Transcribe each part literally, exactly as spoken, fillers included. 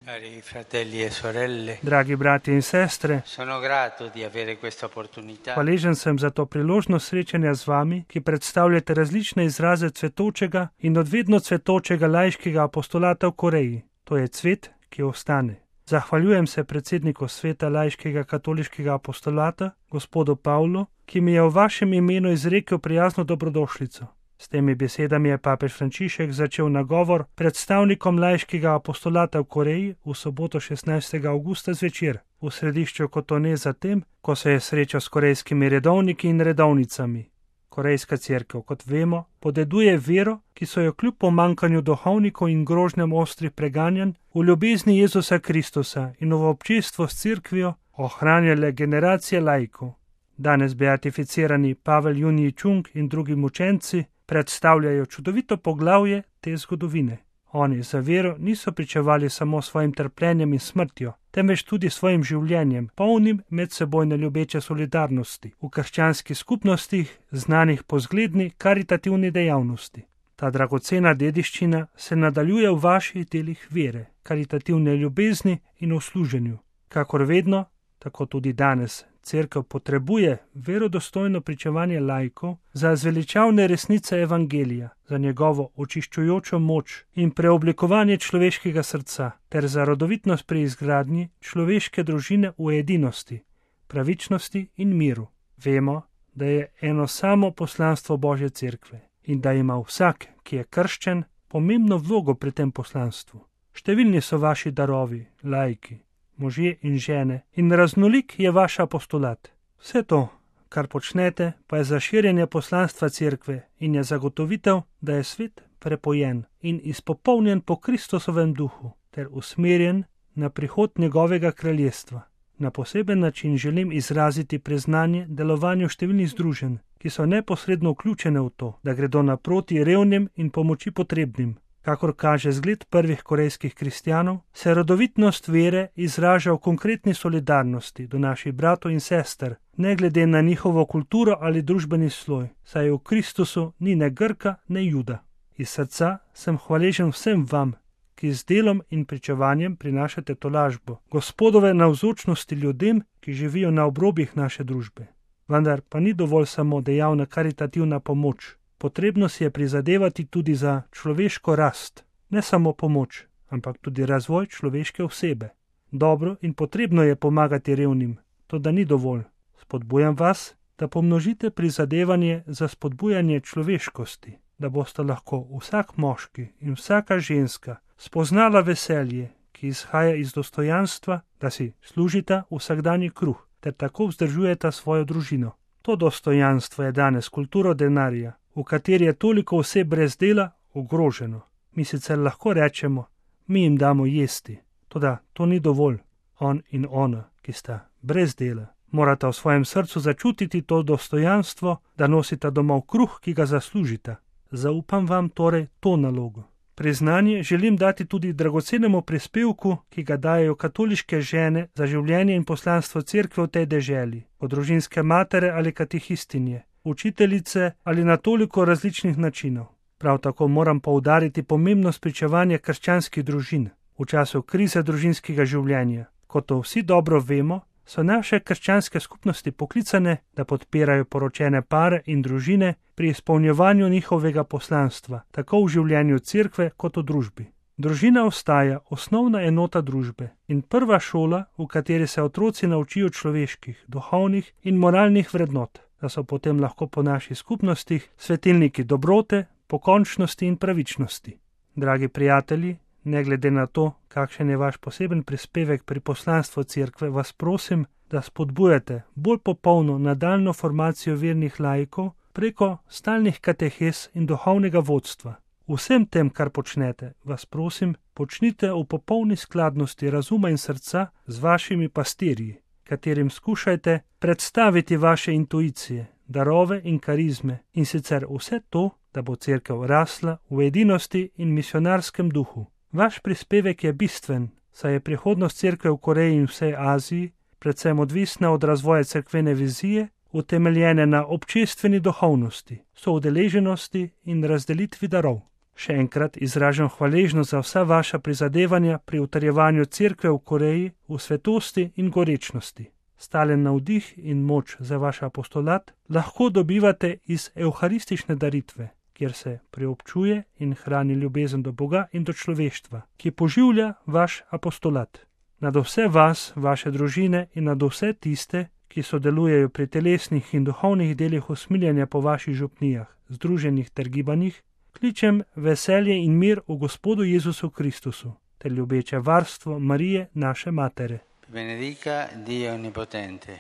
Cari fratelli e sorelle, Dragi bratje in sestre, sono grato di avere questa opportunità hvaležen sem za to priložnost srečanja z vami, ki predstavljate različne izraze cvetočega in odvedno cvetočega laiškega apostolata v Koreji. To je cvet, ki ostane. Zahvaljujem se predsedniku sveta laiškega katoliškega apostolata, gospodu Pavlu, ki mi je v vašem imenu izrekel prijazno dobrodošlico. S temi besedami je papež Frančišek začel nagovor predstavnikom laiškega apostolata v Koreji v soboto šestnajstega avgusta zvečer, v središču Kotone zatem, ko se je srečal s korejskimi redovniki in redovnicami. Korejska cerkev, kot vemo, podeduje vero, ki so jo kljub pomankanju duhovnikov in grožnjam ostrih preganjanj v ljubezni Jezusa Kristusa in v občestvu s cerkvijo ohranjale generacije laikov. Danes beatificirani Pavel Junji Chung in drugi mučenci predstavljajo čudovito poglavje te zgodovine. Oni za vero niso pričevali samo svojim trpljenjem in smrtjo, temveč tudi svojim življenjem, polnim medsebojne ljubeče solidarnosti, v krščanskih skupnostih znanih po zgledni karitativni dejavnosti. Ta dragocena dediščina se nadaljuje v vaših delih vere, karitativne ljubezni in v služenju. Kakor vedno, tako tudi danes, cerkev potrebuje verodostojno pričevanje laikov za zveličavne resnice evangelija, za njegovo očiščujočo moč in preoblikovanje človeškega srca, ter za rodovitnost pri izgradnji človeške družine v edinosti, pravičnosti in miru. Vemo, da je eno samo poslanstvo Božje cerkve in da ima vsak, ki je krščen, pomembno vlogo pri tem poslanstvu. Številni so vaši darovi, laiki, možje in žene, in raznolik je vaš apostolat. Vse to, kar počnete, pa je za širjenje poslanstva cerkve in je zagotovitev, da je svet prepojen in izpopolnjen po Kristusovem duhu ter usmerjen na prihod njegovega kraljestva. Na poseben način želim izraziti priznanje delovanju številnih združenj, ki so neposredno vključene v to, da gredo naproti revnim in pomoči potrebnim. Kakor kaže zgled prvih korejskih kristjanov, se rodovitnost vere izraža v konkretni solidarnosti do naših bratov in sester, ne glede na njihovo kulturo ali družbeni sloj, saj v Kristusu ni ne Grka, ne Juda. Iz srca sem hvaležen vsem vam, ki z delom in pričevanjem prinašate tolažbo Gospodove navzočnosti ljudem, ki živijo na obrobjih naše družbe. Vendar pa ni dovolj samo dejavna karitativna pomoč. Potrebno si je prizadevati tudi za človeško rast, ne samo pomoč, ampak tudi razvoj človeške osebe. Dobro in potrebno je pomagati revnim, to da ni dovolj. Spodbujam vas, da pomnožite prizadevanje za spodbujanje človeškosti, da boste lahko vsak moški in vsaka ženska spoznala veselje, ki izhaja iz dostojanstva, da si služita vsakdanji kruh, ter tako vzdržujeta svojo družino. To dostojanstvo je danes kulturo denarja, v kateri je toliko oseb brez dela ogroženo. Mi sicer lahko rečemo, mi jim damo jesti, toda to ni dovolj. On in ona, ki sta brez dela, morata v svojem srcu začutiti to dostojanstvo, da nosita domov kruh, ki ga zaslužita. Zaupam vam torej to nalogo. Priznanje želim dati tudi dragocenemu prispevku, ki ga dajejo katoliške žene za življenje in poslanstvo cerkve v tej deželi, kot družinske matere ali katehistinje, učiteljice ali na toliko različnih načinov. Prav tako moram poudariti pomembnost pričevanja krščanskih družin v času krize družinskega življenja. Kot to vsi dobro vemo, so naše krščanske skupnosti poklicane, da podpirajo poročene pare in družine pri izpolnjevanju njihovega poslanstva, tako v življenju cerkve kot v družbi. Družina ostaja osnovna enota družbe in prva šola, v kateri se otroci naučijo človeških, duhovnih in moralnih vrednot, da so potem lahko po naših skupnostih svetilniki dobrote, pokončnosti in pravičnosti. Dragi prijatelji, ne glede na to, kakšen je vaš poseben prispevek pri poslanstvu cerkve, vas prosim, da spodbujate bolj popolno nadaljno formacijo vernih laikov preko stalnih katehes in duhovnega vodstva. Vsem tem, kar počnete, vas prosim, počnite v popolni skladnosti razuma in srca z vašimi pastirji, katerim skušajte predstaviti vaše intuicije, darove in karizme, in sicer vse to, da bo cerkev rasla v edinosti in misionarskem duhu. Vaš prispevek je bistven, saj je prihodnost cerkve v Koreji in vsej Aziji predvsem odvisna od razvoja cerkvene vizije, utemeljene na občestveni duhovnosti, soudeleženosti in razdelitvi darov. Še enkrat izražam hvaležnost za vsa vaša prizadevanja pri utrjevanju cerkve v Koreji v svetosti in gorečnosti. Stalen navdih in moč za vaš apostolat lahko dobivate iz evharistične daritve, kjer se preobčuje in hrani ljubezen do Boga in do človeštva, ki poživlja vaš apostolat. Nad vse vas, vaše družine in nad vse tiste, ki sodelujejo pri telesnih in duhovnih delih usmiljenja po vaših župnijah, združenih ter gibanjih, kličem veselje in mir v Gospodu Jezusu Kristusu, ter ljubeče varstvo Marije, naše matere. Benedica Dio Onnipotente,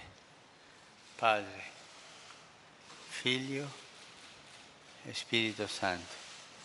Padre, Figlio e Spirito Santo.